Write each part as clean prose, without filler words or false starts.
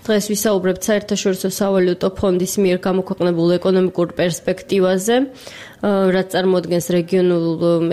დღეს ვისაუბრებთ საერთაშორისო სავალუტო ფონდის მიერ გამოქვეყნებულ ეკონომიკურ პერსპექტივაზე, რაც წარმოადგენს რეგიონულ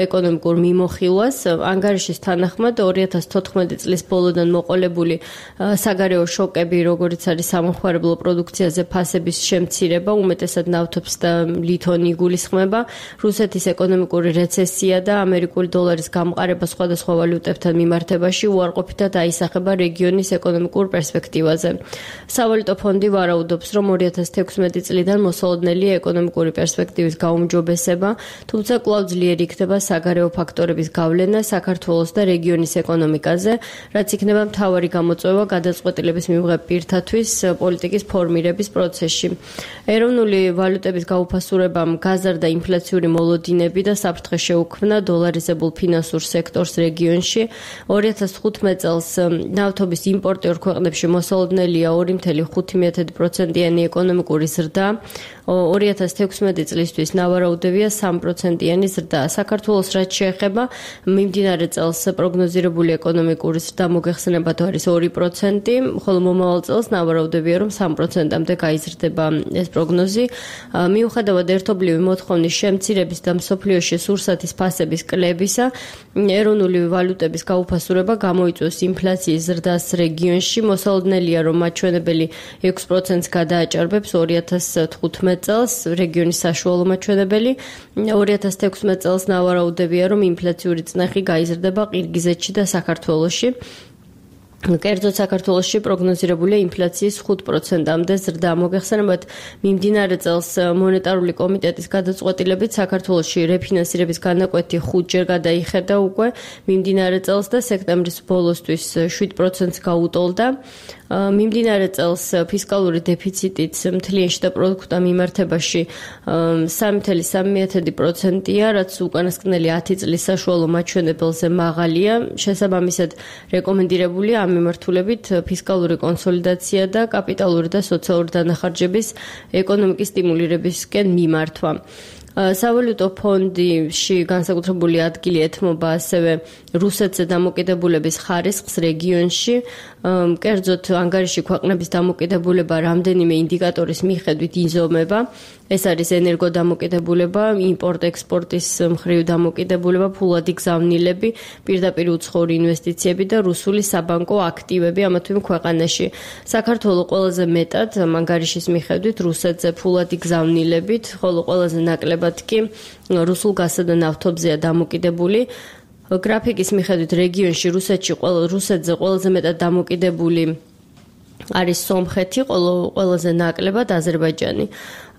ეკონომიკურ მიმოხილვას. ანგარიშის თანახმად 2014 წლის ბოლოდან მოყოლებული საგარეო შოკები, როგორც არის სამომხმარებლო პროდუქციაზე ფასების შემცირება, უმეტესად ნავთობს და ლითონი იგულისხმება, რუსეთის ეკონომიკური რეცესია და ამერიკული დოლარის გამყარება სხვადასხვა ვალუტებთან მიმართებაში უარყოფითად აისახება რეგიონის ეკონომიკურ პერსპექტივაზე. სავალუტო ფონდი ვარაუდობს, რომ 2016 წლიდან მოსალოდნელია ეკონომიკური პერსპექტივის გაუმჯობესება, თუმცა კვლავ ძლიერი იქნება საგარეო ფაქტორების გავლენა საქართველოს და რეგიონის ეკონომიკაზე, რაც იქნება მთავარი გამოწვევა გადაწყვეტილების მიღებ პირთათვის პოლიტიკის ფორმირების პროცესში. ეროვნული ვალუტების გაუფასურებამ გაზარდა ინფლაციური მოლოდინები და საფრთხე შეუქმნა დოლარიზებულ ფინანსურ სექტორს რეგიონში. 2015 წელს ნავთობის იმპორტი ორ ქვეყნებში მოსალოდნელია 2.5%-იანი ეკონომიკური ზრდა. 2016 წლისთვის ნავარაუდევია 3%-იანი ზრდა. საქართველოს რაც შეეხება, მიმდინარე წელს პროგნოზირებული ეკონომიკური ზრდა მოგეხსენებათ არის 2%, ხოლო მომავალ წელს ნავარაუდევია, რომ 3%-მდე გაიზრდება ეს პროგნოზი. მიუხედავად ერთობლივი მოთხოვნის შემცირების და მსოფლიოში სურსათის ფასების კლებისა, ეროვნული ვალუტების გაუფასურება გამოიწვევს ინფლაციის ზრდას რეგიონში. მოსალოდნელია, რომ მაჩვენებელი 6%-ს გადააჭარბებს 2015 წელს რეგიონის საშუალო მაჩვენებელი. 2016 წელს ნავარაუდევია, რომ ინფლაციური წნეხი გაიზრდება ყირგიზეთში და საქართველოში. კერძოდ საქართველოში პროგნოზირებულია ინფლაციის 5%-მდე ზრდა. მოგეხსენებათ, მიმდინარე წელს მონეტარული კომიტეტის გადაწყვეტილებით საქართველოში რეფინანსირების განაკვეთი 5-ჯერ გადაიხედა უკვე მიმდინარე წელს და სექტემბრის ბოლოსთვის 7%-ს გაუტოლდა. მიმდინარე წელს ფისკალური დეფიციტიც მთლიან შიდა პროდუქტთან მიმართებაში 3.3%-ია, რაც უკანასკნელი 10 წლის საშუალო მაჩვენებელზე მაღალია. შესაბამისად, რეკომენდირებულია ამ მიმართულებით ფისკალური კონსოლიდაცია და კაპიტალური და სოციალური დანახარჯების ეკონომიკის სტიმულირებისკენ მიმართვა. სავალუტო ფონდში განსაკუთრებული ადგილი ეთმობა ასევე რუსეთზე დამოკიდებულების ხარისხს რეგიონში. კერძოდ ანგარიში ქვეყნების დამოკიდებულება რამდენიმე ინდიკატორის მიხედვით იზომება. ეს არის ენერგოდამოკიდებულება, იმპორტ-ექსპორტის მხრივ დამოკიდებულება, ფულადი გზავნილები, პირდაპირ უცხოური ინვესტიციები და რუსული საბანკო აქტივები ამა თუ იმ ქვეყანაში. საქართველოს ყველაზე მეტად ანგარიშის მიხედვით რუსეთზე ფულადი გზავნილებით, ხოლო ყველაზე ნაკლებად კი რუსულ გაზსა და ნავთობზეა დამოკიდებული. გრაფიკის მიხედვით რეგიონში რუსეთზე ყველაზე მეტად დამოკიდებული არის სომხეთი, ყველაზე ნაკლებად აზერბაიჯანი.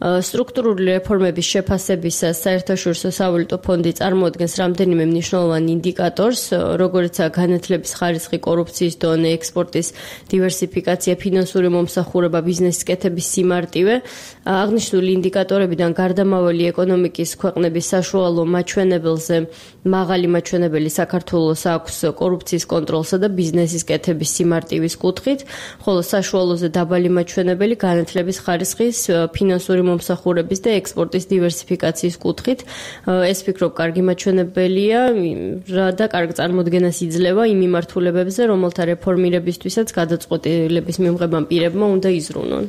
სტრუქტურული რეფორმების შეფასებისას საერთაშორისო სავალუტო ფონდი წარმოადგენს რამდენიმე მნიშვნელოვან ინდიკატორს, როგორიცაა განათლების ხარისხი, კორუფციის დონე, ექსპორტის დივერსიფიკაცია, ფინანსური მომსახურება, ბიზნესის კეთების სიმარტივე. აღნიშნული ინდიკატორებიდან გარდამავალი ეკონომიკის ქვეყნების საშუალო მაჩვენებელზე მაღალი მაჩვენებელი საქართველოს აქვს კორუფციის კონტროლსა და ბიზნესის კეთების სიმარტივის კუთხით, ხოლო საშუალოზე დაბალი მაჩვენებელი განათლების ხარისხის, ფინანსური მომსახურების და ექსპორტის დივერსიფიკაციის კუთხით. ეს ვფიქრობ კარგი მაჩვენებელია და კარგ წარმოდგენას იძლევა იმ მიმართულებებზე, რომელთა რეფორმირებისთვისაც გადაწყვეტილების მიღებამ პირებმა უნდა იზრუნონ.